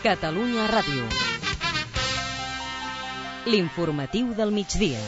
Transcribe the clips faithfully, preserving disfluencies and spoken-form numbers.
Catalunya Ràdio. L'informatiu del migdia.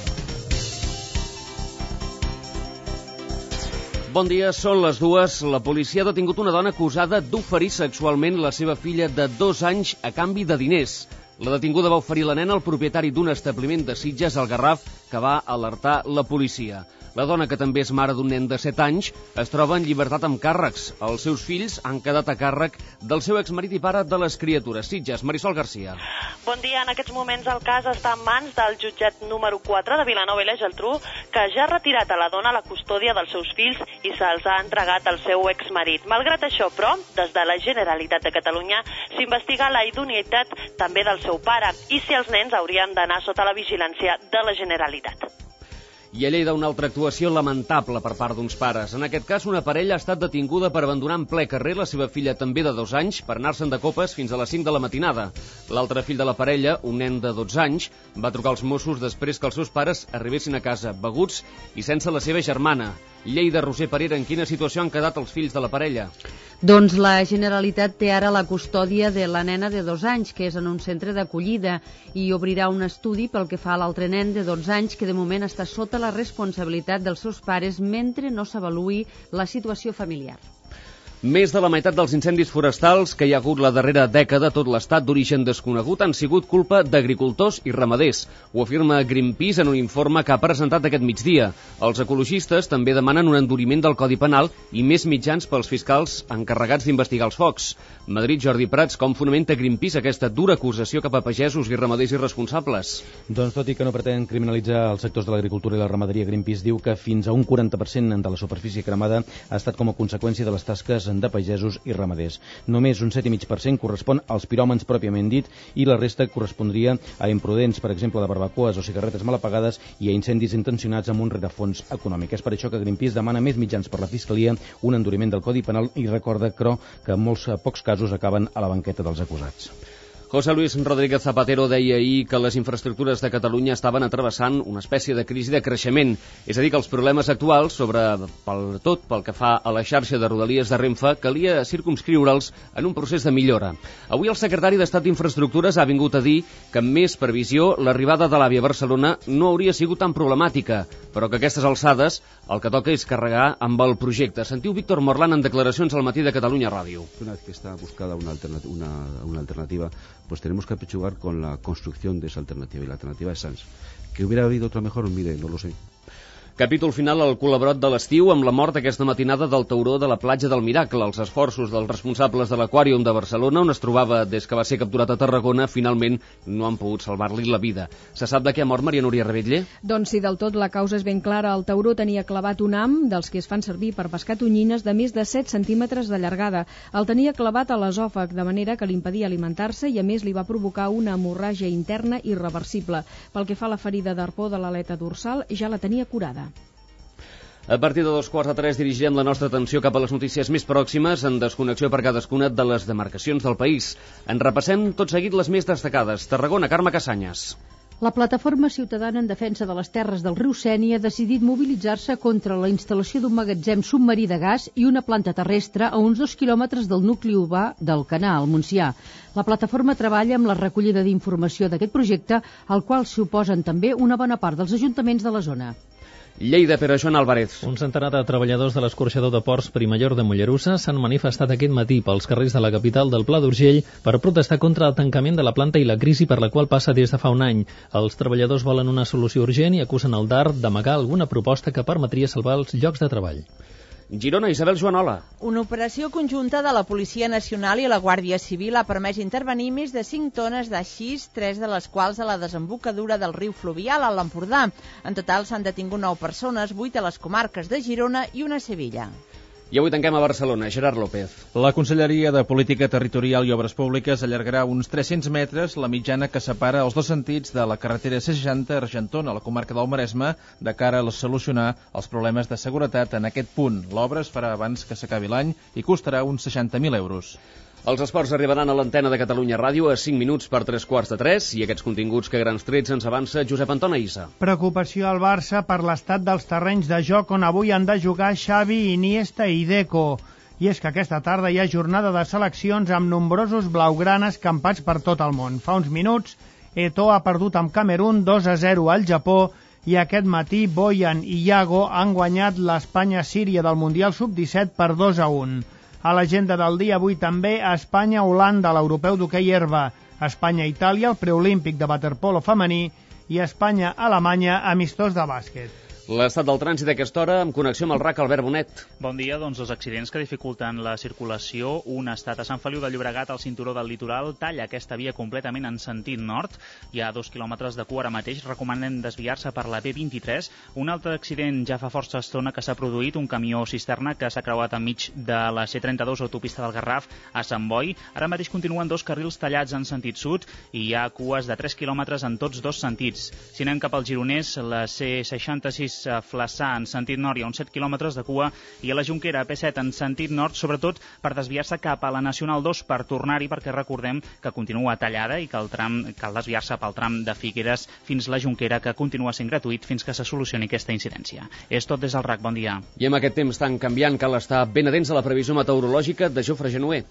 Bon dia, són les dues. La policia ha detingut una dona acusada d'oferir sexualment la seva filla de dos anys a canvi de diners. La detinguda va oferir la nena al propietari d'un establiment de Sitges, al Garraf, que va alertar la policia. La dona, que també és mare d'un nen de set anys, es troba en llibertat amb càrrecs. Els seus fills han quedat a càrrec del seu exmarit i pare de les criatures. Sitges, Marisol Garcia. Bon dia. En aquests moments el cas està en mans del jutjat número quatre de Vilanova i la Geltrú, que ja ha retirat a la dona la custòdia dels seus fills i se'ls ha entregat al seu exmarit. Malgrat això, però, des de la Generalitat de Catalunya s'investiga la idoneïtat també del seu pare i si els nens haurien d'anar sota la vigilància de la Generalitat. I a Lleida, una altra actuació lamentable per part d'uns pares. En aquest cas, una parella ha estat detinguda per abandonar en ple carrer la seva filla també de dos anys per anar-se'n de copes fins a les cinc de la matinada. L'altre fill de la parella, un nen de dotze anys, va trucar als Mossos després que els seus pares arribessin a casa beguts i sense la seva germana. Lleida, Roser Parera, en quina situació han quedat els fills de la parella? Doncs la Generalitat té ara la custòdia de la nena de dos anys, que és en un centre d'acollida, i obrirà un estudi pel que fa a l'altre nen de dotze anys, que de moment està sota la responsabilitat dels seus pares mentre no s'avaluï la situació familiar. Més de la meitat dels incendis forestals que hi ha hagut la darrera dècada a tot l'estat d'origen desconegut han sigut culpa d'agricultors i ramaders. Ho afirma Greenpeace en un informe que ha presentat aquest migdia. Els ecologistes també demanen un enduriment del Codi Penal i més mitjans pels fiscals encarregats d'investigar els focs. Madrid, Jordi Prats, com fonamenta Greenpeace aquesta dura acusació cap a pagesos i ramaders irresponsables? Doncs tot i que no pretén criminalitzar els sectors de l'agricultura i la ramaderia, Greenpeace diu que fins a un quaranta per cent de la superfície cremada ha estat com a conseqüència de les tasques de pagesos i ramaders. Només un set coma cinc per cent correspon als piròmans pròpiament dit i la resta correspondria a imprudents, per exemple, de barbacoes o cigarretes mal apagades i a incendis intencionats amb un rerefons econòmic. És per això que Greenpeace demana més mitjans per la Fiscalia, un enduriment del Codi Penal i recorda, però, que en molts pocs casos acaben a la banqueta dels acusats. José Luis Rodríguez Zapatero deia ahir que les infraestructures de Catalunya estaven atrevessant una espècie de crisi de creixement. És a dir, que els problemes actuals, sobre pel tot pel que fa a la xarxa de rodalies de Renfe, calia circumscriure'ls en un procés de millora. Avui el secretari d'Estat d'Infraestructures ha vingut a dir que amb més previsió l'arribada de l'AVE a Barcelona no hauria sigut tan problemàtica, però que a aquestes alçades el que toca és carregar amb el projecte. Sentiu Víctor Morlán en declaracions al matí de Catalunya Ràdio. Una vez que está buscada una alternativa, una, una alternativa pues tenemos que apechugar con la construcción de esa alternativa, y la alternativa es Sants. ¿Que hubiera habido otra mejor? Mire, no lo sé. Capítol final al col·laborat de l'estiu amb la mort aquesta matinada del tauró de la platja del Miracle. Els esforços dels responsables de l'Aquàrium de Barcelona, on es trobava des que va ser capturat a Tarragona, finalment no han pogut salvar-li la vida. Se sap de què ha mort Maria Núria Rebetlle? Doncs sí, del tot la causa és ben clara. El tauró tenia clavat un ham dels que es fan servir per pescar tonyines de més de set centímetres de llargada. El tenia clavat a l'esòfag, de manera que li impedia alimentar-se i a més li va provocar una hemorràgia interna irreversible. Pel que fa a la ferida d'arpó de l'aleta dorsal, ja la tenia curada. A partir de dos quarts de tres dirigirem la nostra atenció cap a les notícies més pròximes en desconnexió per cadascuna de les demarcacions del país. En repassem tot seguit les més destacades. Tarragona, Carme Cassanyes. La Plataforma Ciutadana en Defensa de les Terres del riu Sénia ha decidit mobilitzar-se contra la instal·lació d'un magatzem submarí de gas i una planta terrestre a uns dos quilòmetres del nucli urbà d'Alcanar, al Montsià. La plataforma treballa amb la recollida d'informació d'aquest projecte, al qual s'hi oposen també una bona part dels ajuntaments de la zona. Lleida, Pere Joan Álvarez. Un centenar de treballadors de l'escorxador de ports Primallor de Mollerussa s'han manifestat aquest matí pels carrers de la capital del Pla d'Urgell per protestar contra el tancament de la planta i la crisi per la qual passa des de fa un any. Els treballadors volen una solució urgent i acusen el D A R d'amagar alguna proposta que permetria salvar els llocs de treball. Girona, Isabel Joanola. Una operació conjunta de la Policia Nacional i la Guàrdia Civil ha permès intervenir més de cinc tones de xis, tres de les quals a la desembocadura del riu Fluvial a l'Empordà. En total s'han detingut nou persones, vuit a les comarques de Girona i una a Sevilla. I avui tanquem a Barcelona. Gerard López. La Conselleria de Política Territorial i Obres Públiques allargarà uns tres-cents metres la mitjana que separa els dos sentits de la carretera C seixanta Argentona a la comarca del Maresme de cara a solucionar els problemes de seguretat en aquest punt. L'obra es farà abans que s'acabi l'any i costarà uns seixanta mil euros. Els esports arribaran a l'antena de Catalunya Ràdio a cinc minuts per tres quarts de tres i aquests continguts que grans trets ens avança Josep Anton Aïssa. Preocupació al Barça per l'estat dels terrenys de joc on avui han de jugar Xavi, Iniesta i Deco. I és que aquesta tarda hi ha jornada de seleccions amb nombrosos blaugranes campats per tot el món. Fa uns minuts, Eto'o ha perdut amb Camerún dos a zero al Japó i aquest matí Boyan i Iago han guanyat l'Espanya-Síria del Mundial sub disset per dos a un. A l'agenda del dia avui també Espanya-Holanda, l'europeu d'hoquei herba, Espanya-Itàlia, el preolímpic de waterpolo femení i Espanya-Alemanya, amistós de bàsquet. L'estat del trànsit a aquesta hora, amb connexió amb el R A C, Albert Bonet. Bon dia, doncs dos accidents que dificulten la circulació. Un ha estat a Sant Feliu de Llobregat, al cinturó del litoral, talla aquesta via completament en sentit nord. Hi ha dos quilòmetres de cua ara mateix, recomanen desviar-se per la B vint-i-tres. Un altre accident ja fa força estona que s'ha produït, un camió cisterna que s'ha creuat enmig de la C trenta-dos, autopista del Garraf, a Sant Boi. Ara mateix continuen dos carrils tallats en sentit sud i hi ha cues de tres quilòmetres en tots dos sentits. Si anem cap al Gironès, la C seixanta-sis a Flaçà en sentit nord hi ha uns set quilòmetres de cua i a la Jonquera P set en sentit nord, sobretot per desviar-se cap a la Nacional dos per tornar-hi, perquè recordem que continua tallada i que el tram cal desviar-se pel tram de Figueres fins la Jonquera, que continua sent gratuït fins que se solucioni aquesta incidència. És tot des del R A C, bon dia. I amb aquest temps tan canviant cal estar ben atents a la previsió meteorològica de Jofre Genuer.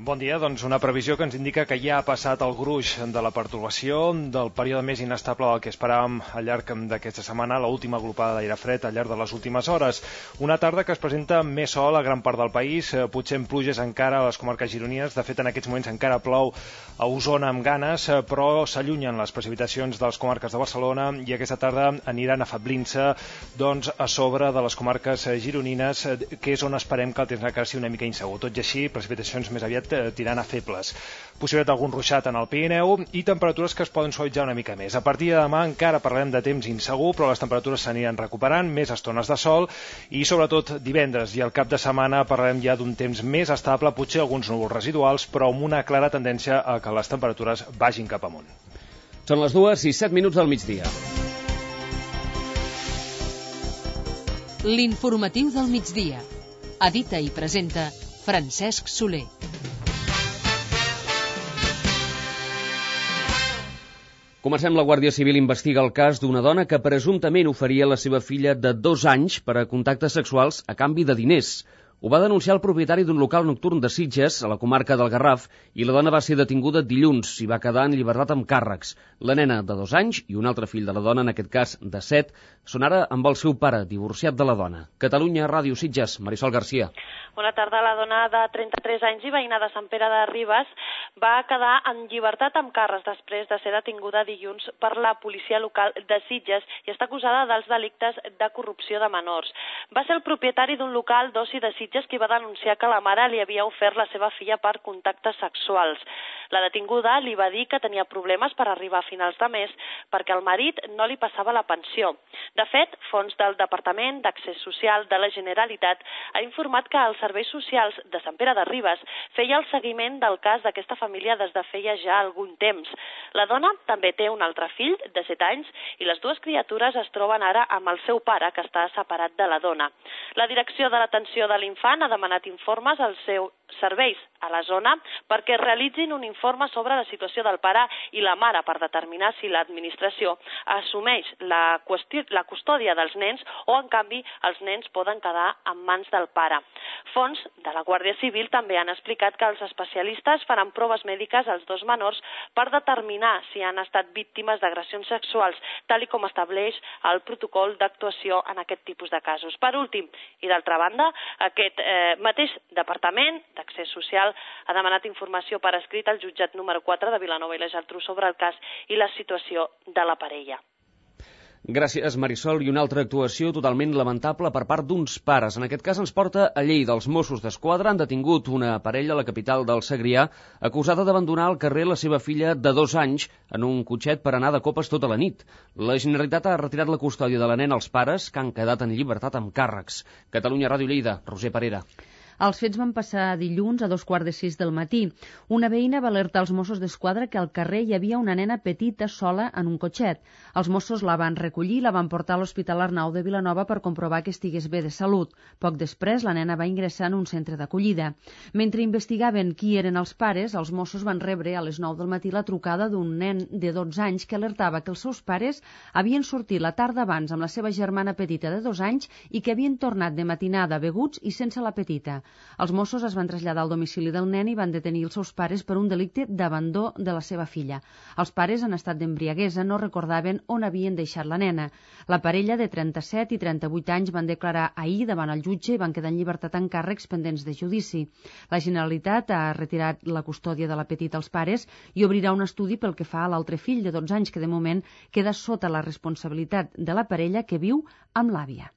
Bon dia, doncs una previsió que ens indica que ja ha passat el gruix de la pertorbació, del període més inestable del que esperàvem al llarg d'aquesta setmana, l'última agrupada d'aire fred al llarg de les últimes hores. Una tarda que es presenta més sol a gran part del país, potser en pluges encara a les comarques gironines. De fet, en aquests moments encara plou a Osona amb ganes, però s'allunyen les precipitacions de les comarques de Barcelona i aquesta tarda aniran afablint-se doncs, a sobre de les comarques gironines, que és on esperem que el temps encara sigui una mica insegur. Tot i així, precipitacions més aviat tirant a febles. Possibilitat d'algun ruixat en el Pirineu i temperatures que es poden suavitzar una mica més. A partir de demà encara parlarem de temps insegur, però les temperatures s'aniran recuperant, més estones de sol i sobretot divendres i al cap de setmana parlarem ja d'un temps més estable, potser alguns núvols residuals, però amb una clara tendència a que les temperatures vagin cap amunt. Són les dues i set minuts del migdia. L'informatiu del migdia. Edita i presenta Francesc Soler. Comencem. La Guàrdia Civil investiga el cas d'una dona que presumptament oferia la seva filla de dos anys per a contactes sexuals a canvi de diners. Ho va denunciar el propietari d'un local nocturn de Sitges, a la comarca del Garraf, i la dona va ser detinguda dilluns i va quedar en llibertat amb càrrecs. La nena de dos anys i un altre fill de la dona, en aquest cas de set, són ara amb el seu pare, divorciat de la dona. Catalunya Ràdio Sitges, Marisol Garcia. Bona tarda. La dona de trenta-tres anys i veïna de Sant Pere de Ribes va quedar en llibertat amb càrrecs després de ser detinguda dilluns per la policia local de Sitges i està acusada dels delictes de corrupció de menors. Va ser el propietari d'un local d'oci de Sitges qui va denunciar que la mare li havia ofert la seva filla per contactes sexuals. La detinguda li va dir que tenia problemes per arribar a finals de mes perquè el marit no li passava la pensió. De fet, fons del Departament d'Accés Social de la Generalitat ha informat que els serveis socials de Sant Pere de Ribes feia el seguiment del cas d'aquesta família des de feia ja algun temps. La dona també té un altre fill de set anys i les dues criatures es troben ara amb el seu pare, que està separat de la dona. La Direcció de l'Atenció de l'Infant ha demanat informes als seus serveis a la zona perquè realitzin un informe sobre la situació del pare i la mare per determinar si l'administració assumeix la, qüestió, la custòdia dels nens o, en canvi, els nens poden quedar en mans del pare. Fons de la Guàrdia Civil també han explicat que els especialistes faran proves mèdiques als dos menors per determinar si han estat víctimes d'agressions sexuals, tal i com estableix el protocol d'actuació en aquest tipus de casos. Per últim, i d'altra banda, aquest eh, mateix Departament d'Accés Social ha demanat informació per escrit al jutjat número quatre de Vilanova i la Geltrú sobre el cas i la situació de la parella. Gràcies, Marisol. I una altra actuació totalment lamentable per part d'uns pares. En aquest cas ens porta a Lleida. Els Mossos d'Esquadra han detingut una parella a la capital del Segrià acusada d'abandonar al carrer la seva filla de dos anys en un cotxet per anar de copes tota la nit. La Generalitat ha retirat la custòdia de la nena als pares, que han quedat en llibertat amb càrrecs. Catalunya Ràdio Lleida, Roser Parera. Els fets van passar dilluns a dos quarts de sis del matí. Una veïna va alertar els Mossos d'Esquadra que al carrer hi havia una nena petita sola en un cotxet. Els Mossos la van recollir i la van portar a l'Hospital Arnau de Vilanova per comprovar que estigués bé de salut. Poc després, la nena va ingressar en un centre d'acollida. Mentre investigaven qui eren els pares, els Mossos van rebre a les nou del matí la trucada d'un nen de dotze anys que alertava que els seus pares havien sortit la tarda abans amb la seva germana petita de dos anys i que havien tornat de matinada beguts i sense la petita. Els Mossos es van traslladar al domicili del nen i van detenir els seus pares per un delicte d'abandó de la seva filla. Els pares, en estat d'embriaguesa, no recordaven on havien deixat la nena. La parella de trenta-set i trenta-vuit anys van declarar ahir davant el jutge i van quedar en llibertat en càrrecs pendents de judici. La Generalitat ha retirat la custòdia de la petita als pares i obrirà un estudi pel que fa a l'altre fill de dotze anys que de moment queda sota la responsabilitat de la parella que viu amb l'àvia.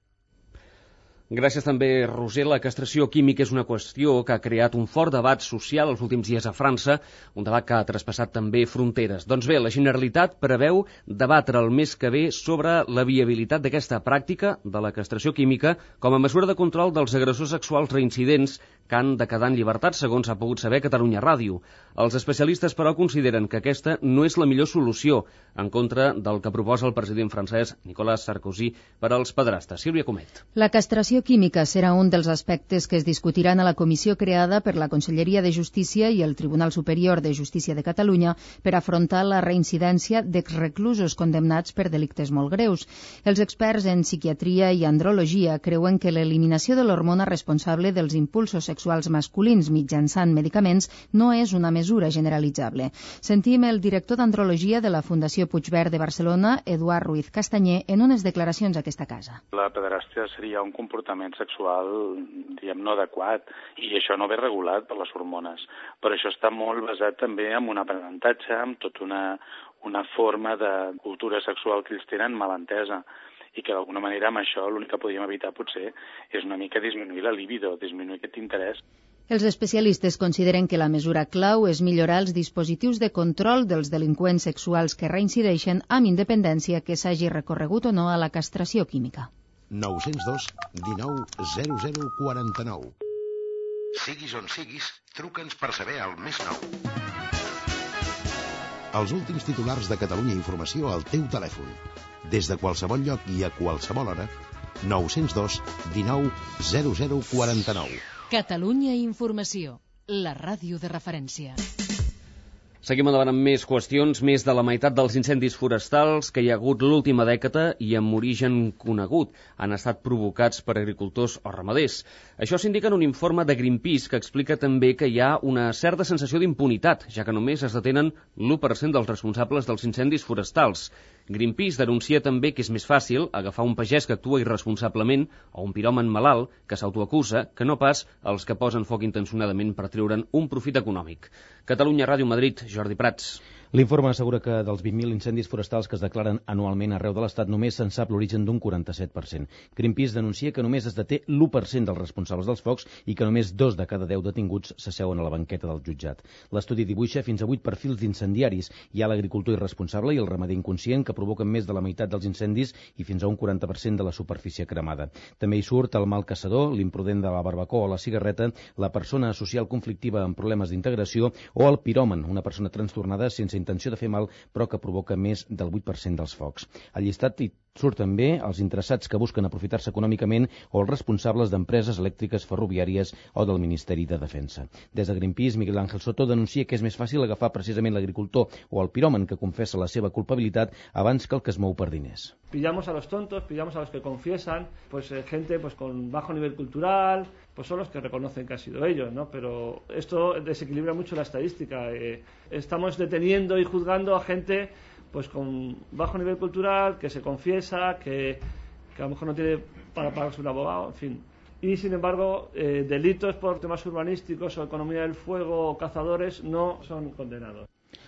Gràcies també, Roser. La castració química és una qüestió que ha creat un fort debat social els últims dies a França, un debat que ha traspassat també fronteres. Doncs bé, la Generalitat preveu debatre el mes que ve sobre la viabilitat d'aquesta pràctica de la castració química com a mesura de control dels agressors sexuals reincidents que han de quedar en llibertat, segons ha pogut saber Catalunya Ràdio. Els especialistes, però, consideren que aquesta no és la millor solució, en contra del que proposa el president francès Nicolas Sarkozy per als pedrastes. Sílvia Comet. La castració química serà un dels aspectes que es discutiran a la comissió creada per la Conselleria de Justícia i el Tribunal Superior de Justícia de Catalunya per afrontar la reincidència d'exreclusos condemnats per delictes molt greus. Els experts en psiquiatria i andrologia creuen que l'eliminació de l'hormona responsable dels impulsos sexuals masculins mitjançant medicaments no és una mesura generalitzable. Sentim el director d'andrologia de la Fundació Puigverd de Barcelona, Eduard Ruiz Castanyer, en unes declaracions a aquesta casa. La pederàstia seria un comportament sexual, diguem, no adequat, i això no ve regulat per les hormones. Però això està molt basat també en un aprenentatge, en tota una, una forma de cultura sexual que ells tenen mal entesa, i que d'alguna manera amb això l'únic que podíem evitar potser és una mica disminuir la libido, disminuir aquest interès. Els especialistes consideren que la mesura clau és millorar els dispositius de control dels delinqüents sexuals que reincideixen amb independència que s'hagi recorregut o no a la castració química. nou zero dos dinou zero zero quaranta-nou. Siguis on siguis, truca'ns per saber el més nou. Els últims titulars de Catalunya Informació al teu telèfon. Des de qualsevol lloc i a qualsevol hora, nou zero dos dinou zero zero quaranta-nou. Catalunya Informació, la ràdio de referència. Seguim endavant amb més qüestions. Més de la meitat dels incendis forestals que hi ha hagut l'última dècada i amb origen conegut han estat provocats per agricultors o ramaders. Això s'indica en un informe de Greenpeace que explica també que hi ha una certa sensació d'impunitat, ja que només es detenen l'u per cent dels responsables dels incendis forestals. Greenpeace denuncia també que és més fàcil agafar un pagès que actua irresponsablement o un piròman malalt que s'autoacusa que no pas els que posen foc intencionadament per treure'n un profit econòmic. Catalunya Ràdio Madrid, Jordi Prats. L'informe assegura que dels vint mil incendis forestals que es declaren anualment arreu de l'Estat només se'n sap l'origen d'un quaranta-set per cent. Greenpeace denuncia que només es deté l'u per cent dels responsables dels focs i que només dos de cada deu detinguts s'asseuen a la banqueta del jutjat. L'estudi dibuixa fins a vuit perfils d'incendiaris. Hi ha l'agricultor irresponsable i el ramader inconscient que provoquen més de la meitat dels incendis i fins a un quaranta per cent de la superfície cremada. També hi surt el mal caçador, l'imprudent de la barbacoa o la cigarreta, la persona social conflictiva amb problemes d'integració o el piròman, una persona trastornada sense intenció de fer mal, però que provoca més del vuit per cent dels focs. Al llistat hi surt també els interessats que busquen aprofitar-se econòmicament o els responsables d'empreses elèctriques, ferroviàries o del Ministeri de Defensa. Des de Greenpeace, Miguel Ángel Soto denuncia que és més fàcil agafar precisament l'agricultor o el piròman que confessa la seva culpabilitat abans que el que es mou per diners. Pillamos a los tontos, pillamos a los que confiesan, pues eh, gente pues con bajo nivel cultural, pues son los que reconocen que han sido ellos, ¿no? Pero esto desequilibra mucho la estadística. Eh, estamos deteniendo y juzgando a gente pues con bajo nivel cultural, que se confiesa, que, que a lo mejor no tiene para pagarse un abogado, en fin. Y sin embargo, eh, delitos por temas urbanísticos o economía del fuego o cazadores no son condenados.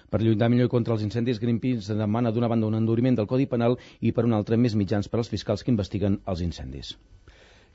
Per lluitar millor contra els incendis, Greenpeace demana d'una banda un enduriment del Codi Penal i per una altra més mitjans per als fiscals que investiguen els incendis.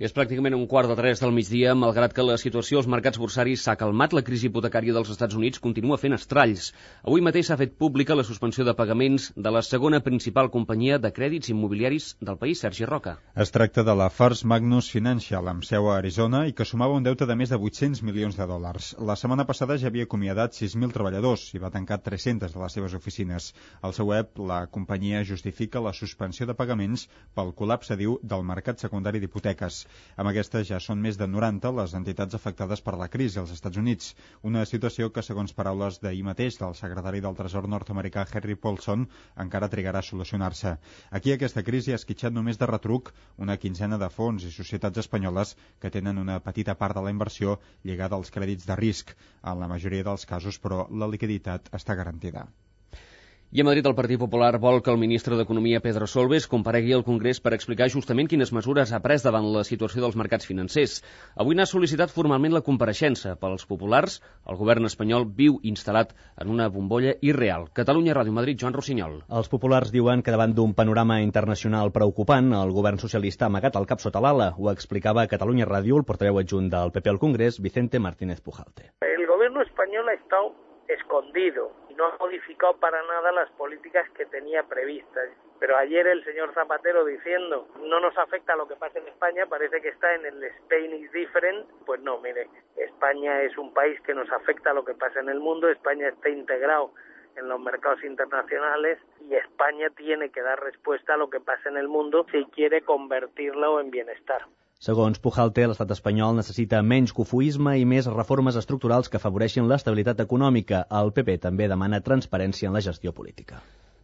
És pràcticament un quart de tres del migdia, malgrat que la situació als mercats borsaris s'ha calmat, la crisi hipotecària dels Estats Units continua fent estralls. Avui mateix s'ha fet pública la suspensió de pagaments de la segona principal companyia de crèdits immobiliaris del país, Sergi Roca. Es tracta de la First Magnus Financial, amb seu a Arizona, i que sumava un deute de més de vuit-cents milions de dòlars. La setmana passada ja havia acomiadat sis mil treballadors i va tancar tres-centes de les seves oficines. Al seu web, la companyia justifica la suspensió de pagaments pel col·lapse, diu, del mercat secundari d'hipoteques. Amb aquestes ja són més de noranta les entitats afectades per la crisi als Estats Units, una situació que, segons paraules d'ahir mateix del secretari del Tresor nord-americà Henry Paulson, encara trigarà a solucionar-se. Aquí aquesta crisi ha esquitxat només de retruc una quinzena de fons i societats espanyoles que tenen una petita part de la inversió lligada als crèdits de risc. En la majoria dels casos, però, la liquiditat està garantida. I a Madrid el Partit Popular vol que el ministre d'Economia, Pedro Solbes, comparegui al Congrés per explicar justament quines mesures ha pres davant la situació dels mercats financers. Avui n'ha sol·licitat formalment la compareixença. Pels populars, el govern espanyol viu instal·lat en una bombolla irreal. Catalunya Ràdio Madrid, Joan Rossinyol. Els populars diuen que davant d'un panorama internacional preocupant, el govern socialista ha amagat el cap sota l'ala. Ho explicava a Catalunya Ràdio el portaveu adjunt del P P al Congrés, Vicente Martínez Pujalte. El gobierno español ha estado escondido y no ha modificado para nada las políticas que tenía previstas. Pero ayer el señor Zapatero diciendo no nos afecta lo que pasa en España, parece que está en el Spain is different. Pues no, mire, España es un país que nos afecta a lo que pasa en el mundo, España está integrado en los mercados internacionales y España tiene que dar respuesta a lo que pasa en el mundo si quiere convertirlo en bienestar. Segons Pujalte, l'estat espanyol necessita menys cofoisme i més reformes estructurals que afavoreixin l'estabilitat econòmica. El P P també demana transparència en la gestió política.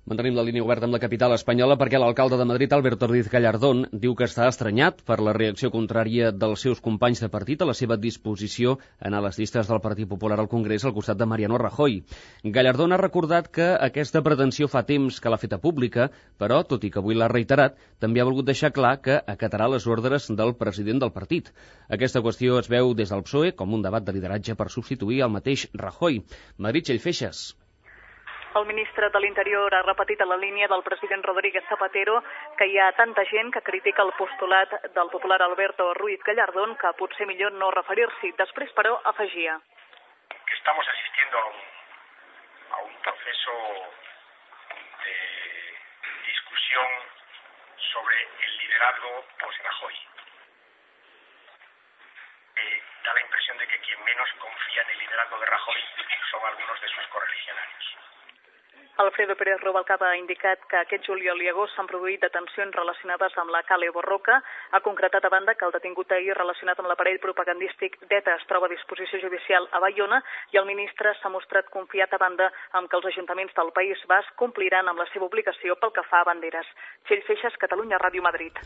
Mantenim la línia oberta amb la capital espanyola perquè l'alcalde de Madrid, Alberto Ruiz Gallardón, diu que està estranyat per la reacció contrària dels seus companys de partit a la seva disposició a anar a les llistes del Partit Popular al Congrés al costat de Mariano Rajoy. Gallardón ha recordat que aquesta pretensió fa temps que l'ha feta pública, però, tot i que avui l'ha reiterat, també ha volgut deixar clar que acatarà les ordres del president del partit. Aquesta qüestió es veu des del P S O E com un debat de lideratge per substituir el mateix Rajoy. Madrid, Txell Feixes. El ministre de l'Interior ha repetit a la línia del president Rodríguez Zapatero que hi ha tanta gent que critica el postulat del popular Alberto Ruiz Gallardón que potser millor no referir-s'hi. Després, però, afegia. Que estamos asistiendo a un, a un proceso de discusión sobre el liderazgo post-Rajoy. Eh, da la impresión de que quien menos confía en el liderazgo de Rajoy son algunos de sus correligionarios. Alfredo Pérez Rubalcaba ha indicat que aquest juliol i agost s'han produït detencions relacionades amb la Kale Borroka. Ha concretat a banda que el detingut ahir relacionat amb l'aparell propagandístic d'ETA es troba a disposició judicial a Baiona i el ministre s'ha mostrat confiat a banda amb que els ajuntaments del País Basc compliran amb la seva obligació pel que fa a banderes. Txell Feixes, Catalunya Ràdio Madrid.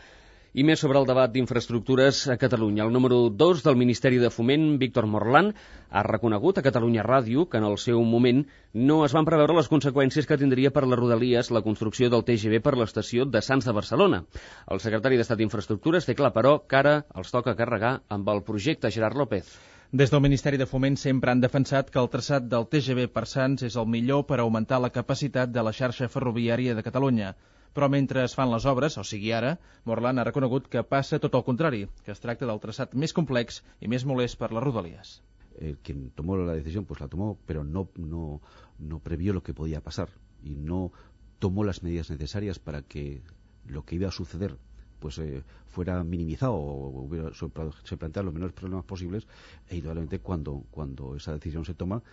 I més sobre el debat d'infraestructures a Catalunya. El número dos del Ministeri de Foment, Víctor Morlán, ha reconegut a Catalunya Ràdio que en el seu moment no es van preveure les conseqüències que tindria per les Rodalies la construcció del T G V per l'estació de Sants de Barcelona. El secretari d'Estat d'Infraestructures té clar, però, que ara els toca carregar amb el projecte. Gerard López. Des del Ministeri de Foment sempre han defensat que el traçat del T G V per Sants és el millor per augmentar la capacitat de la xarxa ferroviària de Catalunya. Però mentre es fan les obres, o sigui ara, Morlán ha reconegut que passa tot el contrari, que es tracta del traçat més complex i més molest per les Rodalies. Eh, quien tomó la decisión, pues la tomó, pero no, no, no previó lo que podía pasar y no tomó las medidas necesarias para que lo que iba a suceder pues eh, fuera minimizado o hubiera, se plantearan los menores problemas posibles, e indudablemente cuando, cuando esa decisión se toma,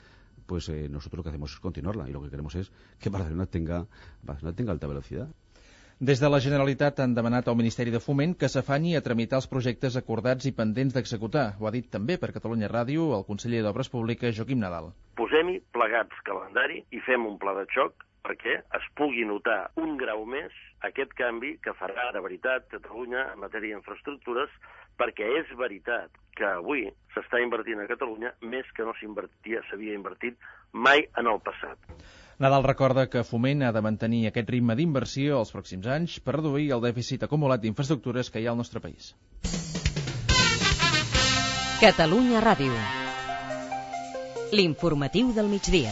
pues eh, nosotros lo que hacemos es continuarla y lo que queremos es que Barcelona tenga, Barcelona tenga alta velocidad. Des de la Generalitat han demanat al Ministeri de Foment que s'afanyi a tramitar els projectes acordats i pendents d'executar. Ho ha dit també per Catalunya Ràdio el conseller d'Obres Públiques, Joaquim Nadal. Posem-hi plegats calendari i fem un pla de xoc perquè es pugui notar un grau més aquest canvi que farà de veritat Catalunya en matèria d'infraestructures, perquè és veritat que avui s'està invertint a Catalunya més que no s'invertia, s'havia invertit mai en el passat. Nadal recorda que Foment ha de mantenir aquest ritme d'inversió els pròxims anys per reduir el dèficit acumulat d'infraestructures que hi ha al nostre país. Catalunya Ràdio. L'informatiu del migdia.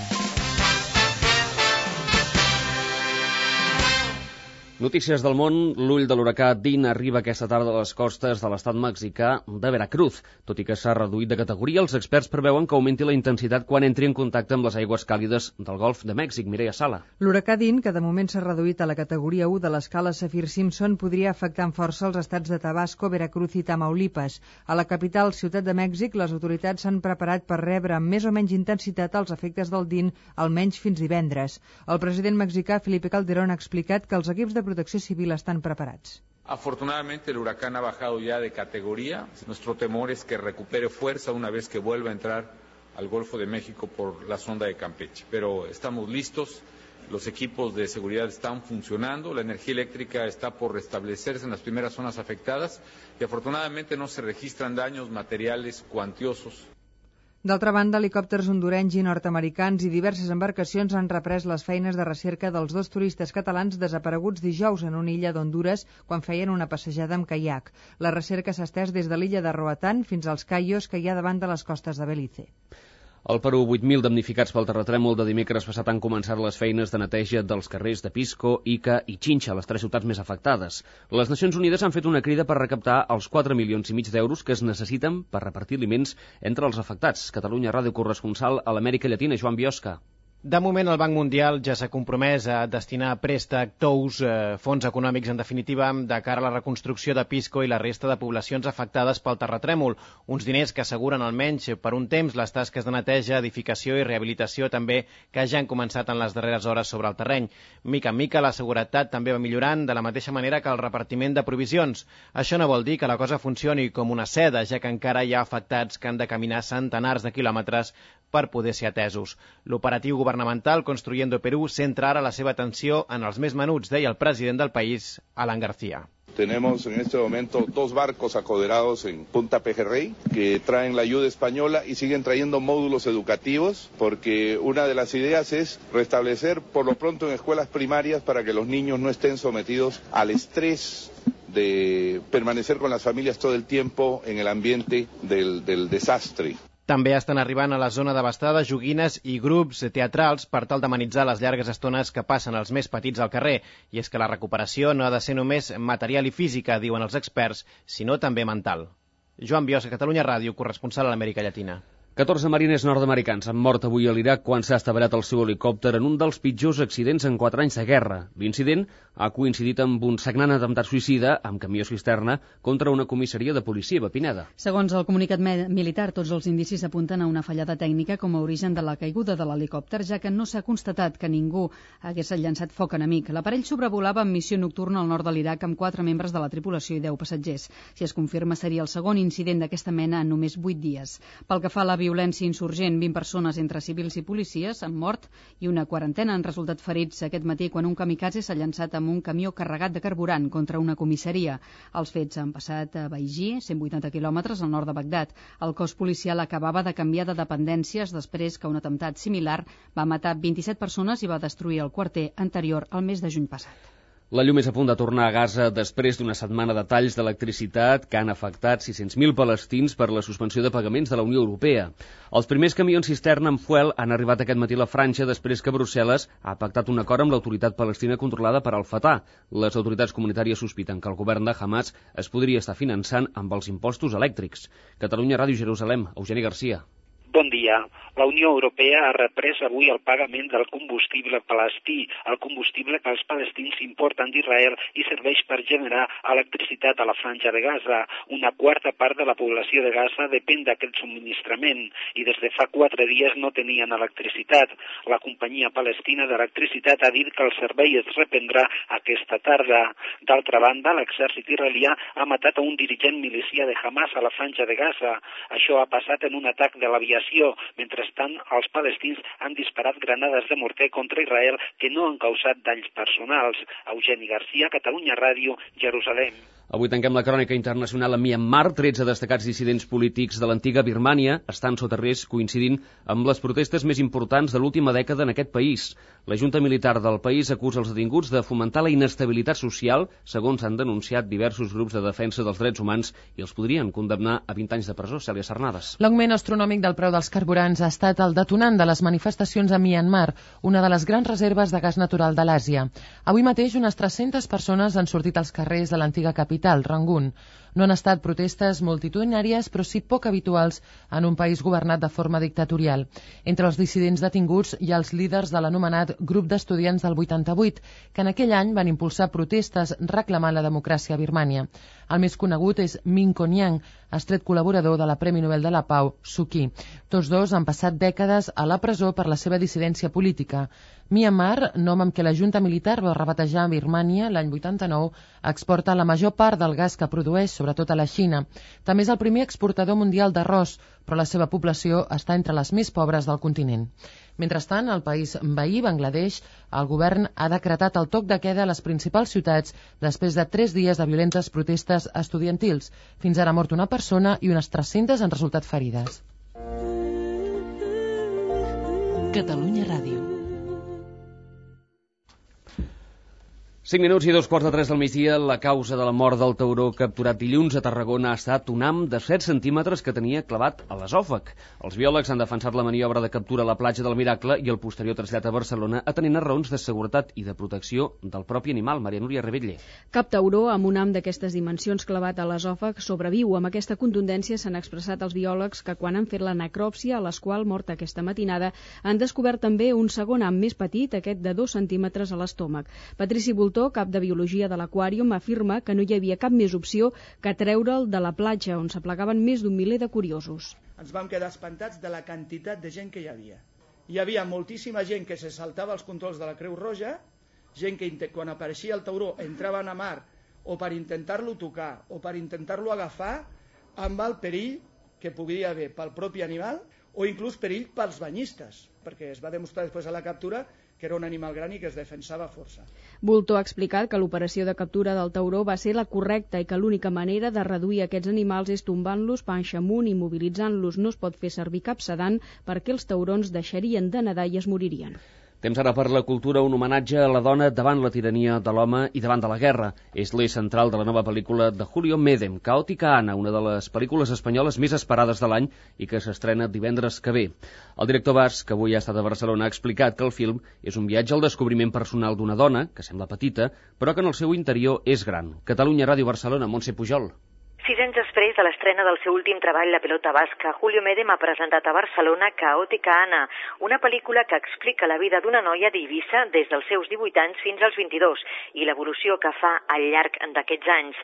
Notícies del món. L'ull de l'huracà Dean arriba aquesta tarda a les costes de l'estat mexicà de Veracruz. Tot i que s'ha reduït de categoria, els experts preveuen que augmenti la intensitat quan entri en contacte amb les aigües càlides del Golf de Mèxic. Mireia Sala. L'huracà Dean, que de moment s'ha reduït a la categoria u de l'escala Saffir-Simpson, podria afectar amb força els estats de Tabasco, Veracruz i Tamaulipas. A la capital, Ciutat de Mèxic, les autoritats s'han preparat per rebre amb més o menys intensitat els efectes del Dean, almenys fins divendres. El president mexicà Felipe Calderón ha explicat que els equips de protecció civil estan preparats. Afortunadamente el huracán ha bajado ya de categoría. Nuestro temor es que recupere fuerza una vez que vuelva a entrar al Golfo de México por la sonda de Campeche. Pero estamos listos, los equipos de seguridad están funcionando, la energía eléctrica está por restablecerse en las primeras zonas afectadas y afortunadamente no se registran daños materiales cuantiosos. D'altra banda, helicòpters hondurenys i nord-americans i diverses embarcacions han reprès les feines de recerca dels dos turistes catalans desapareguts dijous en una illa d'Hondures quan feien una passejada amb caiac. La recerca s'ha estès des de l'illa de Roatán fins als caios que hi ha davant de les costes de Belize. Al Perú, vuit mil damnificats pel terratrèmol de dimecres passat han començat les feines de neteja dels carrers de Pisco, Ica i Chincha, les tres ciutats més afectades. Les Nacions Unides han fet una crida per recaptar els quatre milions i mig d'euros que es necessiten per repartir aliments entre els afectats. Catalunya Ràdio, corresponsal a l'Amèrica Llatina, Joan Biosca. De moment, el Banc Mundial ja s'ha compromès a destinar préstec, tous, eh, fons econòmics, en definitiva, de cara a la reconstrucció de Pisco i la resta de poblacions afectades pel terratrèmol. Uns diners que asseguren almenys per un temps les tasques de neteja, edificació i rehabilitació també que ja han començat en les darreres hores sobre el terreny. Mica en mica, la seguretat també va millorant de la mateixa manera que el repartiment de provisions. Això no vol dir que la cosa funcioni com una seda, ja que encara hi ha afectats que han de caminar centenars de quilòmetres per poder ser atesos. L'operatiu governamental Construyendo Perú centra ara la seva atenció en els més menuts, deia el president del país, Alan García. Tenemos en este momento dos barcos acoderados en Punta Pejerrey que traen la ayuda española y siguen trayendo módulos educativos porque una de las ideas es restablecer por lo pronto en escuelas primarias para que los niños no estén sometidos al estrés de permanecer con las familias todo el tiempo en el ambiente del, del desastre. També estan arribant a la zona devastada joguines i grups teatrals per tal d'amenitzar les llargues estones que passen els més petits al carrer. I és que la recuperació no ha de ser només material i física, diuen els experts, sinó també mental. Joan Biosca, Catalunya Ràdio, corresponsal a l'Amèrica Llatina. catorze mariners nord-americans han mort avui a l'Iraq quan s'ha estavellat el seu helicòpter en un dels pitjors accidents en quatre anys de guerra. L'incident ha coincidit amb un sagnant atemptat suïcida amb camió cisterna contra una comissaria de policia a Pineda. Segons el comunicat militar, tots els indicis apunten a una fallada tècnica com a origen de la caiguda de l'helicòpter, ja que no s'ha constatat que ningú hagués llançat foc enemic. L'aparell sobrevolava en missió nocturna al nord de l'Iraq amb quatre membres de la tripulació i deu passatgers. Si es confirma, seria el segon incident d'aquesta mena en només vuit dies. Pel que fa a la violència insurgent, vint persones entre civils i policies han mort i una quarantena han resultat ferits aquest matí quan un kamikaze s'ha llançat amb un camió carregat de carburant contra una comissaria. Els fets han passat a Baigí, cent vuitanta quilòmetres al nord de Bagdad. El cos policial acabava de canviar de dependències després que un atemptat similar va matar vint-i-set persones i va destruir el quarter anterior al mes de juny passat. La llum és a punt de tornar a Gaza després d'una setmana de talls d'electricitat que han afectat sis-cents mil palestins per la suspensió de pagaments de la Unió Europea. Els primers camions cisterna amb fuel han arribat aquest matí a la Franja després que Brussel·les ha pactat un acord amb l'autoritat palestina controlada per Al-Fatah. Les autoritats comunitàries sospiten que el govern de Hamas es podria estar finançant amb els impostos elèctrics. Catalunya Ràdio, Jerusalem, Eugeni Garcia. Bon dia. La Unió Europea ha reprès avui el pagament del combustible palestí, el combustible que els palestins importen d'Israel i serveix per generar electricitat a la Franja de Gaza. Una quarta part de la població de Gaza depèn d'aquest subministrament i des de fa quatre dies no tenien electricitat. La companyia palestina d'electricitat ha dit que el servei es reprendrà aquesta tarda. D'altra banda, l'exèrcit israelià ha matat a un dirigent milicià de Hamas a la Franja de Gaza. Això ha passat en un atac de l'aviació. Mentrestant, els palestins han disparat granades de morter contra Israel que no han causat danys personals. Eugeni Garcia, Catalunya Ràdio, Jerusalem. Avui tanquem la crònica internacional a Myanmar. tretze destacats dissidents polítics de l'antiga Birmània estan sota risc, coincidint amb les protestes més importants de l'última dècada en aquest país. La Junta Militar del país acusa els detinguts de fomentar la inestabilitat social, segons han denunciat diversos grups de defensa dels drets humans, i els podrien condemnar a vint anys de presó. Cèlia Sarnades. L'augment astronòmic del preu dels carburants ha estat el detonant de les manifestacions a Myanmar, una de les grans reserves de gas natural de l'Àsia. Avui mateix unes tres-centes persones han sortit als carrers de l'antiga capital capital, Rangun. No han estat protestes multitudinàries, però sí poc habituals en un país governat de forma dictatorial. Entre els dissidents detinguts hi ha els líders de l'anomenat Grup d'Estudiants del vuitanta-vuit, que en aquell any van impulsar protestes reclamant la democràcia a Birmània. El més conegut és Min Kon-yang, estret col·laborador de la Premi Nobel de la Pau, Suu Kyi. Tots dos han passat dècades a la presó per la seva dissidència política. Myanmar, nom amb què la junta militar va rebatejar Birmània l'any vuitanta-nou, exporta la major part del gas que produeix, sobretot a la Xina. També és el primer exportador mundial d'arròs, però la seva població està entre les més pobres del continent. Mentrestant, al país veí, Bangladesh, el govern ha decretat el toc de queda a les principals ciutats després de tres dies de violentes protestes estudiantils. Fins ara ha mort una persona i unes tres-centes han resultat ferides. Catalunya Ràdio. cinc minuts i dos quarts de tres del migdia. La causa de la mort del tauró capturat dilluns a Tarragona ha estat un ham de set centímetres que tenia clavat a l'esòfag. Els biòlegs han defensat la maniobra de captura a la platja del Miracle i el posterior trasllat a Barcelona atenent a raons de seguretat i de protecció del propi animal. Maria Núria Rebetlle. Cap tauró amb un ham d'aquestes dimensions clavat a l'esòfag sobreviu. Amb aquesta contundència s'han expressat els biòlegs que quan han fet la necròpsia, a l'esqual morta aquesta matinada, han descobert també un segon ham més petit, aquest de dos centímetres a l'estómac. Patrici Voltor, cap de Biologia de l'Aquàrium, afirma que no hi havia cap més opció que treure'l de la platja, on s'aplegaven més d'un miler de curiosos. Ens vam quedar espantats de la quantitat de gent que hi havia. Hi havia moltíssima gent que se saltava els controls de la Creu Roja, gent que quan apareixia el tauró entraven a mar o per intentar-lo tocar o per intentar-lo agafar amb el perill que podia haver pel propi animal o inclús perill pels banyistes, perquè es va demostrar després a la captura que era un animal gran i que es defensava força. Voltor ha explicat que l'operació de captura del tauró va ser la correcta i que l'única manera de reduir aquests animals és tombant-los panxa amunt i immobilitzant-los. No es pot fer servir cap sedant perquè els taurons deixarien de nedar i es moririen. Temps ara per la cultura, un homenatge a la dona davant la tirania de l'home i davant de la guerra. És l'eix central de la nova pel·lícula de Julio Medem, Caòtica Anna, una de les pel·lícules espanyoles més esperades de l'any i que s'estrena divendres que ve. El director basc, que avui ha estat a Barcelona, ha explicat que el film és un viatge al descobriment personal d'una dona, que sembla petita, però que en el seu interior és gran. Catalunya Ràdio Barcelona, Montse Pujol. Sis anys després de l'estrena del seu últim treball, La pelota basca, Julio Medem ha presentat a Barcelona Caòtica Anna, una pel·lícula que explica la vida d'una noia d'Eivissa des dels seus divuit anys fins als vint-i-dos i l'evolució que fa al llarg d'aquests anys.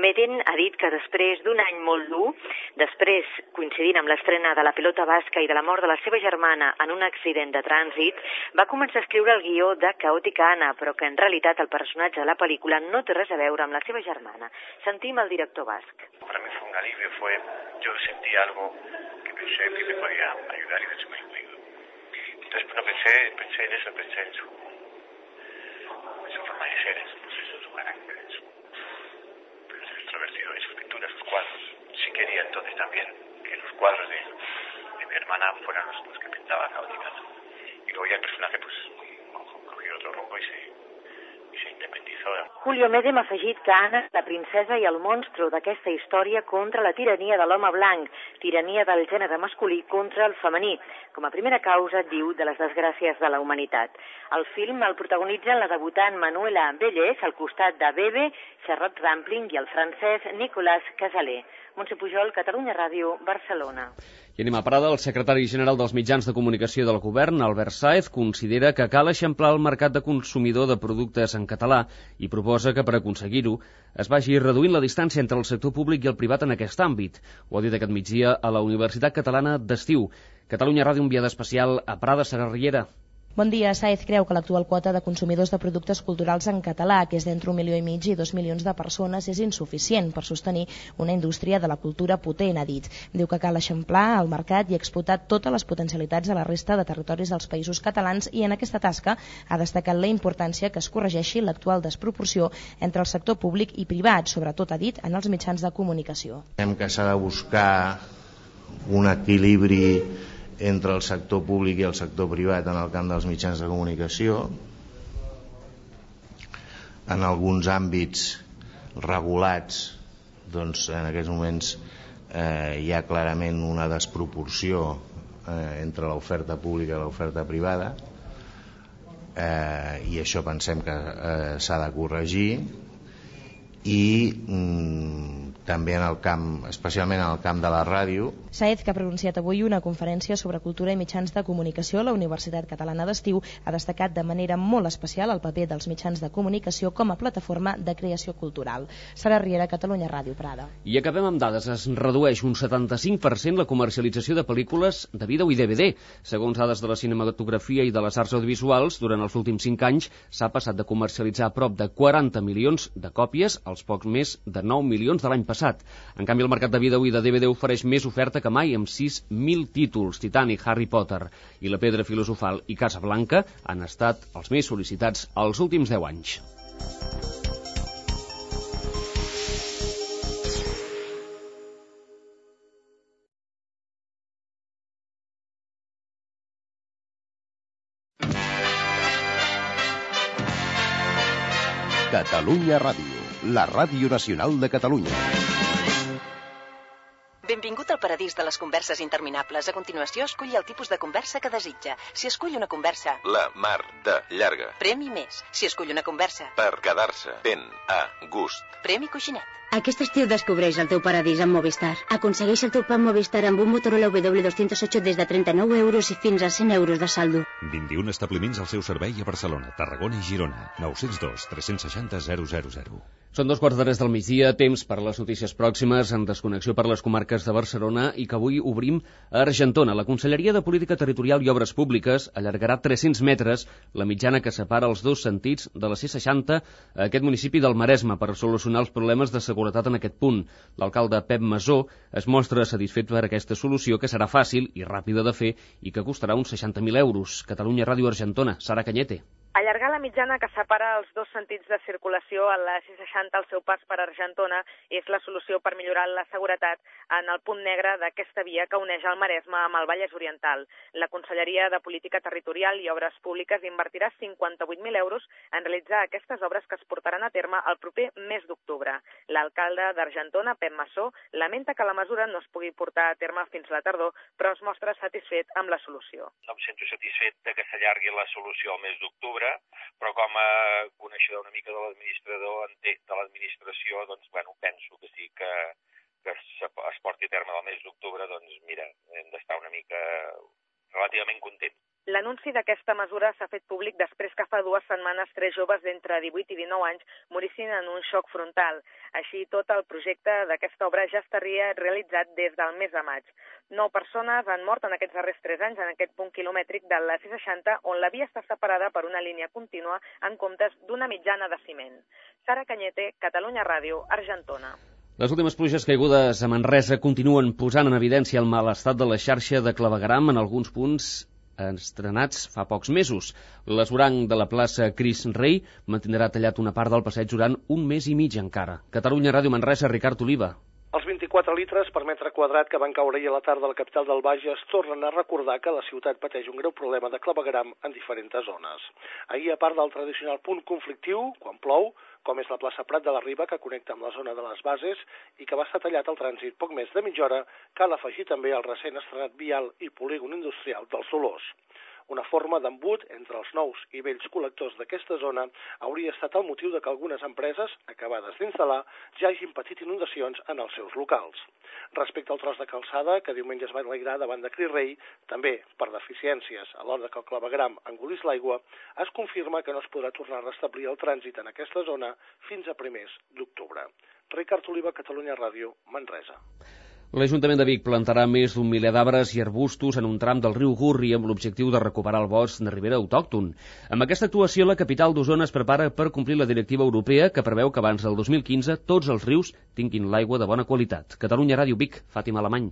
Medem ha dit que després d'un any molt dur, després coincidint amb l'estrena de La pelota basca i de la mort de la seva germana en un accident de trànsit, va començar a escriure el guió de Caòtica Anna, però que en realitat el personatge de la pel·lícula no té res a veure amb la seva germana. Sentim el director basc. Para mí fue un alivio, fue, yo sentí algo que pensé que me podía ayudar y de hecho me lo digo. Entonces, bueno, pensé, pensé en eso, pensé en su, en su forma de ser, en su, en su carácter, en su, en su extrovertido, en sus pinturas, sus cuadros. Sí quería entonces también que los cuadros de, de mi hermana fueran los, los que pintaba Caòtica. Y luego ya el personaje pues cogió otro rumbo y se... Julio Medem ha afegit que Anna és la princesa i el monstru d'aquesta història contra la tirania de l'home blanc, tirania del gènere masculí contra el femení, com a primera causa, diu, de les desgràcies de la humanitat. El film el protagonitzen la debutant Manuela Vellès al costat de Bebe, Charlotte Rampling i el francès Nicolas Casalet. Montse Pujol, Catalunya Ràdio, Barcelona. I anem a Prada. El secretari general dels mitjans de comunicació del govern, Albert Sáez, considera que cal eixamplar el mercat de consumidor de productes en català i proposa que per aconseguir-ho es vagi reduint la distància entre el sector públic i el privat en aquest àmbit. Ho ha dit aquest migdia a la Universitat Catalana d'Estiu. Catalunya Ràdio, enviada especial a Prada, Sara Riera. Bon dia. Sáez creu que l'actual quota de consumidors de productes culturals en català, que és d'entre un milió i mig i dos milions de persones, és insuficient per sostenir una indústria de la cultura potent, ha dit. Diu que cal eixamplar el mercat i explotar totes les potencialitats a la resta de territoris dels països catalans i en aquesta tasca ha destacat la importància que es corregeixi l'actual desproporció entre el sector públic i privat, sobretot, ha dit, en els mitjans de comunicació. Hem que s'ha de buscar un equilibri entre el sector públic i el sector privat en el camp dels mitjans de comunicació. En alguns àmbits regulats, doncs en aquests moments eh, hi ha clarament una desproporció eh, entre l'oferta pública i l'oferta privada, eh, i això pensem que eh, s'ha de corregir, i mm, també en el camp, especialment en el camp de la ràdio. Saez, que ha pronunciat avui una conferència sobre cultura i mitjans de comunicació a la Universitat Catalana d'Estiu, ha destacat de manera molt especial el paper dels mitjans de comunicació com a plataforma de creació cultural. Sara Riera, Catalunya Ràdio, Prada. I acabem amb dades. Es redueix un setanta-cinc per cent la comercialització de pel·lícules de vídeo i D V D. Segons dades de la cinematografia i de les arts audiovisuals, durant els últims cinc anys s'ha passat de comercialitzar prop de quaranta milions de còpies als pocs més de nou milions de l'any passat. En canvi, el mercat de vídeo i de D V D ofereix més oferta que mai, amb sis mil títols. Titanic, Harry Potter i La Pedra Filosofal i Casablanca han estat els més sol·licitats els últims deu anys. Catalunya Ràdio, la ràdio nacional de Catalunya. Benvingut al paradís de les converses interminables. A continuació, esculli el tipus de conversa que desitja. Si escull una conversa... La mar de llarga. Premi més. Si escull una conversa... Per quedar-se ben a gust. Premi coixinet. Aquest estiu descobreix el teu paradís amb Movistar. Aconsegueix el teu plan Movistar amb un Motorola W dos cents i ocho des de trenta-nou euros i fins a cent euros de saldo. vint-i-un establiments al seu servei a Barcelona, Tarragona i Girona. nou zero dos, tres seixanta, zero zero zero. Són dos quarts d'hores del migdia, temps per les notícies pròximes en desconnexió per les comarques de Barcelona i que avui obrim a Argentona. La Conselleria de Política Territorial i Obres Públiques allargarà tres-cents metres la mitjana que separa els dos sentits de la C seixanta a aquest municipi del Maresme per solucionar els problemes de seguretat en aquest punt. L'alcalde Pep Masó es mostra satisfet per aquesta solució que serà fàcil i ràpida de fer i que costarà uns seixanta mil euros. Catalunya Ràdio Argentona, Sara Cañete. Allargar la mitjana que separa els dos sentits de circulació a la C seixanta al seu pas per Argentona és la solució per millorar la seguretat en el punt negre d'aquesta via que uneix el Maresme amb el Vallès Oriental. La Conselleria de Política Territorial i Obres Públiques invertirà cinquanta-vuit mil euros en realitzar aquestes obres que es portaran a terme el proper mes d'octubre. L'alcalde d'Argentona, Pep Masó, lamenta que la mesura no es pugui portar a terme fins la tardor, però es mostra satisfet amb la solució. No em sento satisfet de que s'allargui la solució al mes d'octubre, però com a coneixedor una mica de l'administrador, de l'administració, doncs, bueno, penso que sí que, que es porti a terme el mes d'octubre, doncs, mira, hem d'estar una mica relativament contents. L'anunci d'aquesta mesura s'ha fet públic després que fa dues setmanes tres joves d'entre divuit i dinou anys morissin en un xoc frontal. Així, tot el projecte d'aquesta obra ja estaria realitzat des del mes de maig. Nou persones han mort en aquests darrers tres anys en aquest punt quilomètric de la C seixanta, on la via està separada per una línia contínua en comptes d'una mitjana de ciment. Sara Cañete, Catalunya Ràdio, Argentona. Les últimes pluges caigudes a Manresa continuen posant en evidència el mal estat de la xarxa de clavegueram en alguns punts estrenats fa pocs mesos. L'esvoranc de la plaça Cris Rei mantindrà tallat una part del passeig durant un mes i mig encara. Catalunya Ràdio Manresa, Ricard Oliva. Els vint-i-quatre litres per metre quadrat que van caure ahir a la tarda a la capital del Bages tornen a recordar que la ciutat pateix un greu problema de clavegueram en diferents zones. Ahir, a part del tradicional punt conflictiu, quan plou, com és la plaça Prat de la Riba, que connecta amb la zona de les Bases i que va estar tallat al trànsit poc més de mitja hora, cal afegir també el recent estrenat vial i polígon industrial dels Dolors. Una forma d'embut entre els nous i vells col·lectors d'aquesta zona hauria estat el motiu de que algunes empreses, acabades d'instal·lar, ja hagin patit inundacions en els seus locals. Respecte al tros de calçada, que diumenge es va enlairar davant de Cris Rei, també per deficiències a l'hora que el clavegueram engolís l'aigua, es confirma que no es podrà tornar a restablir el trànsit en aquesta zona fins a primers d'octubre. Ricard Oliva, Catalunya Ràdio, Manresa. L'Ajuntament de Vic plantarà més d'un miler d'arbres i arbustos en un tram del riu Gurri amb l'objectiu de recuperar el bosc de ribera autòcton. Amb aquesta actuació, la capital d'Osona es prepara per complir la directiva europea que preveu que abans del dos mil quinze tots els rius tinguin l'aigua de bona qualitat. Catalunya Ràdio Vic, Fàtima Alemany.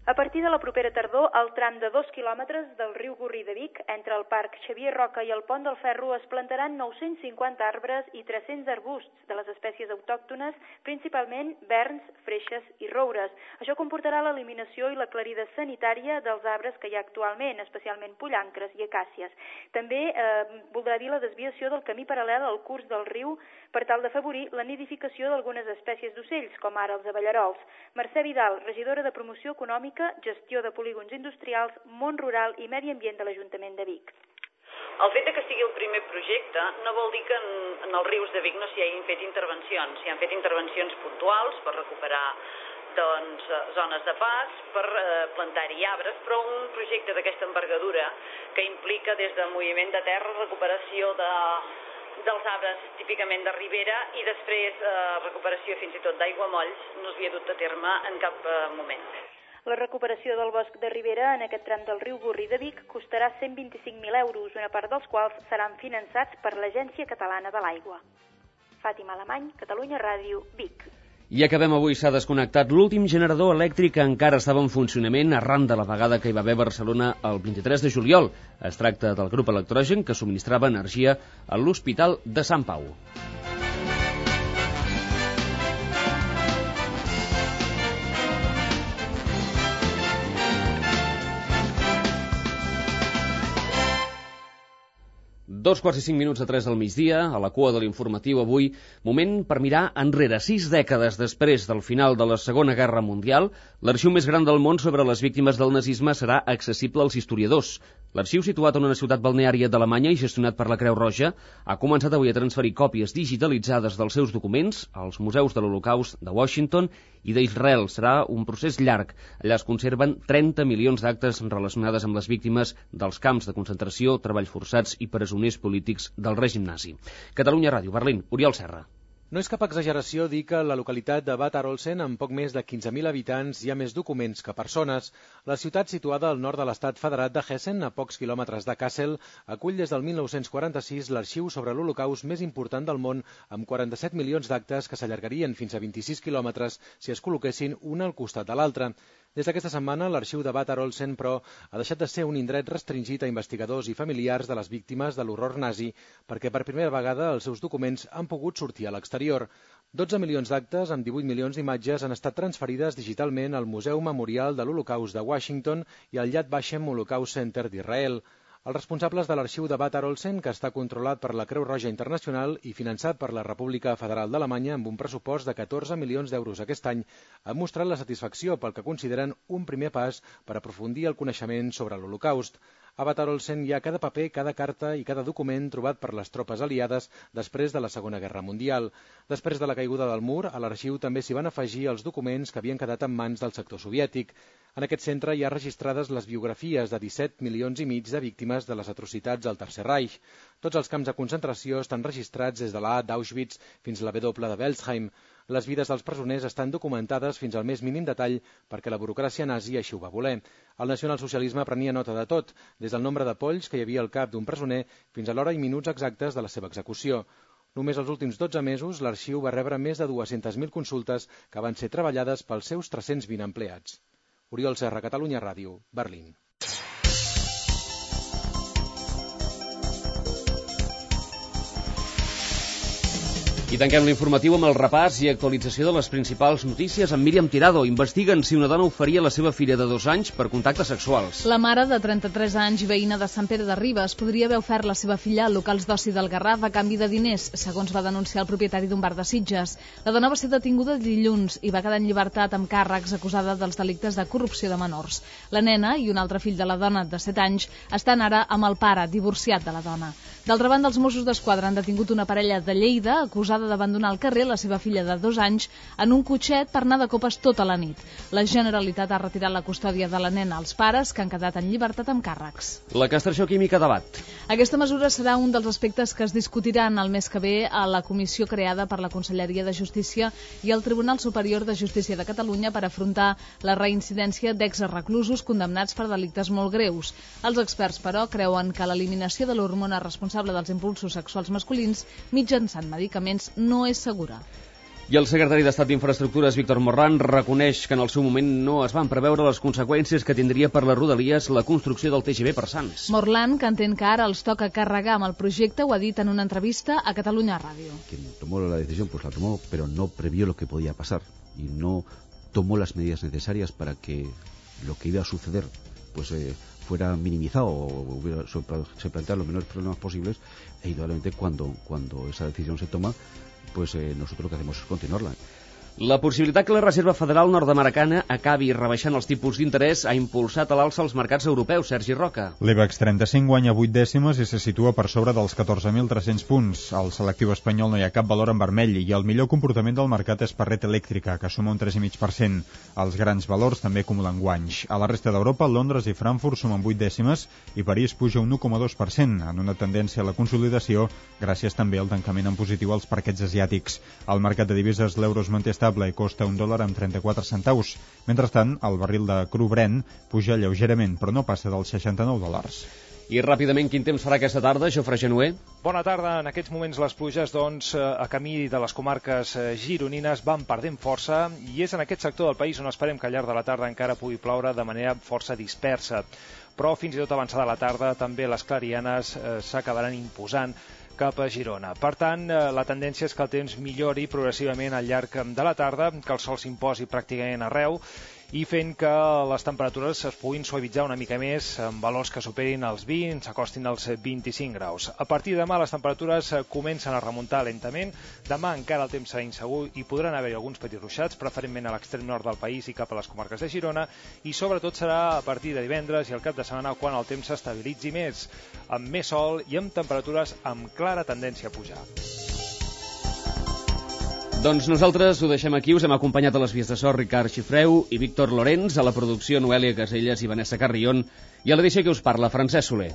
A partir de la propera tardor, el tram de dos quilòmetres del riu Gurri de Vic, entre el Parc Xavier Roca i el Pont del Ferro, es plantaran nou-cents cinquanta arbres i tres-cents arbusts de les espècies autòctones, principalment verns, freixes i roures. Això comportarà l'eliminació i la clarida sanitària dels arbres que hi ha actualment, especialment pollancres i acàcies. També eh, voldrà dir la desviació del camí paral·lel al curs del riu per tal d'afavorir la nidificació d'algunes espècies d'ocells, com ara els abellarols. Mercè Vidal, regidora de Promoció Econòmica, Gestió de Polígons Industrials, Món Rural i Medi Ambient de l'Ajuntament de Vic. El fet que sigui el primer projecte no vol dir que en, en els rius de Vic no s'hi hagin fet intervencions. S'hi han fet intervencions puntuals per recuperar doncs, zones de pas, per eh, plantar-hi arbres, però un projecte d'aquesta envergadura que implica des del moviment de terra, recuperació de, dels arbres típicament de ribera i després eh, recuperació fins i tot d'aiguamolls no s'havia dut a terme en cap eh, moment. La recuperació del bosc de ribera en aquest tram del riu Gorri de Vic costarà cent vint-i-cinc mil euros, una part dels quals seran finançats per l'Agència Catalana de l'Aigua. Fàtima Alemany, Catalunya Ràdio, Vic. I acabem avui, s'ha desconnectat l'últim generador elèctric que encara estava en funcionament arran de la vegada que hi va haver a Barcelona el vint-i-tres de juliol. Es tracta del grup Electrogen que subministrava energia a l'Hospital de Sant Pau. Dos quarts i cinc minuts a tres del migdia, a la cua de l'informatiu avui, moment per mirar enrere. Sis dècades després del final de la Segona Guerra Mundial, l'arxiu més gran del món sobre les víctimes del nazisme serà accessible als historiadors. L'arxiu, situat en una ciutat balneària d'Alemanya i gestionat per la Creu Roja, ha començat avui a transferir còpies digitalitzades dels seus documents als museus de l'Holocaust de Washington i d'Israel. Serà un procés llarg. Allà es conserven trenta milions d'actes relacionades amb les víctimes dels camps de concentració, treballs forçats i presoners polítics del règim nazi. Catalunya Ràdio, Berlín, Oriol Serra. No és cap exageració dir que la localitat de Bad Arolsen, amb poc més de quinze mil habitants, hi ha més documents que persones. La ciutat, situada al nord de l'estat federat de Hessen, a pocs quilòmetres de Kassel, acull des del mil nou-cents quaranta-sis l'arxiu sobre l'Holocaust més important del món, amb quaranta-set milions d'actes que s'allargarien fins a vint-i-sis quilòmetres si es col·loquessin un al costat de l'altre. Des d'aquesta setmana, l'arxiu de Bad Arolsen, però, ha deixat de ser un indret restringit a investigadors i familiars de les víctimes de l'horror nazi, perquè per primera vegada els seus documents han pogut sortir a l'exterior. dotze milions d'actes amb divuit milions d'imatges han estat transferides digitalment al Museu Memorial de l'Holocaust de Washington i al Yad Vashem Holocaust Center d'Israel. Els responsables de l'arxiu de Bad Arolsen, que està controlat per la Creu Roja Internacional i finançat per la República Federal d'Alemanya amb un pressupost de catorze milions d'euros aquest any, han mostrat la satisfacció pel que consideren un primer pas per aprofundir el coneixement sobre l'Holocaust. A Bad Arolsen hi ha cada paper, cada carta i cada document trobat per les tropes aliades després de la Segona Guerra Mundial. Després de la caiguda del mur, a l'arxiu també s'hi van afegir els documents que havien quedat en mans del sector soviètic. En aquest centre hi ha registrades les biografies de disset milions i mig de víctimes de les atrocitats del Tercer Reich. Tots els camps de concentració estan registrats des de la A d'Auschwitz fins a la W de Welsheim. Les vides dels presoners estan documentades fins al més mínim detall perquè la burocràcia nazi així ho va voler. El nacionalsocialisme prenia nota de tot, des del nombre de polls que hi havia al cap d'un presoner fins a l'hora i minuts exactes de la seva execució. Només els últims dotze mesos l'arxiu va rebre més de dues-centes mil consultes que van ser treballades pels seus tres-cents vint empleats. Oriol Serra, Catalunya Ràdio, Berlín. I tanquem l'informatiu amb el repàs i actualització de les principals notícies amb Míriam Tirado. Investiguen si una dona oferia la seva filla de dos anys per contactes sexuals. La mare, de trenta-tres anys, veïna de Sant Pere de Ribes, podria haver ofert la seva filla a locals d'oci del Garraf a canvi de diners, segons va denunciar el propietari d'un bar de Sitges. La dona va ser detinguda dilluns i va quedar en llibertat amb càrrecs, acusada dels delictes de corrupció de menors. La nena i un altre fill de la dona, de set anys, estan ara amb el pare, divorciat de la dona. D'altra banda, els Mossos d'Esquadra han detingut una parella de Lleida acusada d'abandonar al carrer la seva filla de dos anys en un cotxet per anar de copes tota la nit. La Generalitat ha retirat la custòdia de la nena als pares, que han quedat en llibertat amb càrrecs. La castració química debat. Aquesta mesura serà un dels aspectes que es discutiran el mes que ve a la comissió creada per la Conselleria de Justícia i el Tribunal Superior de Justícia de Catalunya per afrontar la reincidència d'exreclusos condemnats per delictes molt greus. Els experts, però, creuen que l'eliminació de l'hormona responsable dels impulsos sexuals masculins mitjançant medicaments no és segura. I el secretari d'Estat d'Infraestructures, Víctor Morlan, reconeix que en el seu moment no es van preveure les conseqüències que tindria per les Rodalies la construcció del T G V per Sants. Morlan, que entén que ara els toca carregar amb el projecte, ho ha dit en una entrevista a Catalunya Ràdio. Quien tomó la decisión, pues la tomó, pero no previó lo que podía pasar y no tomó las medidas necesarias para que lo que iba a suceder, pues eh, fuera minimizado o hubiera, se plantearan los menores problemas posibles, e indudablemente cuando, cuando esa decisión se toma, pues eh, nosotros lo que hacemos es continuarla. La possibilitat que la Reserva Federal nord-americana acabi rebaixant els tipus d'interès ha impulsat a l'alça els mercats europeus. Sergi Roca. L'IBEX trenta-cinc guanya vuit dècimes i se situa per sobre dels catorze mil tres-cents punts. Al selectiu espanyol no hi ha cap valor en vermell i el millor comportament del mercat és per Red Eléctrica, que suma un tres coma cinc per cent. Els grans valors també acumulen guanys. A la resta d'Europa, Londres i Frankfurt sumen vuit dècimes i París puja un u coma dos per cent, en una tendència a la consolidació, gràcies també al tancament en positiu als parquets asiàtics. Al mercat de divises, l'euro es manté estable i costa un dòlar amb trenta-quatre centaus. Mentrestant, el barril de cru Brent puja lleugerament, però no passa dels seixanta-nou dòlars. I ràpidament, quin temps farà aquesta tarda, Jofre Genuer? Bona tarda. En aquests moments les pluges, doncs, a camí de les comarques gironines van perdent força i és en aquest sector del país on esperem que al llarg de la tarda encara pugui ploure de manera força dispersa. Però fins i tot avançada la tarda també les clarianes eh, s'acabaran imposant cap a Girona. Per tant, la tendència és que el temps millori progressivament al llarg de la tarda, que el sol s'imposi pràcticament arreu i fent que les temperatures es puguin suavitzar una mica més amb valors que superin els vint, s'acostin als vint-i-cinc graus. A partir de demà les temperatures comencen a remuntar lentament. Demà encara el temps serà insegur i podran haver-hi alguns petits ruixats, preferentment a l'extrem nord del país i cap a les comarques de Girona, i sobretot serà a partir de divendres i el cap de setmana quan el temps s'estabilitzi més, amb més sol i amb temperatures amb clara tendència a pujar. Doncs nosaltres ho deixem aquí, us hem acompanyat a les vies de so Ricard Xifreu i Víctor Lorenz, a la producció Noèlia Caselles i Vanessa Carrion, i a l'edició que us parla Francesc Soler.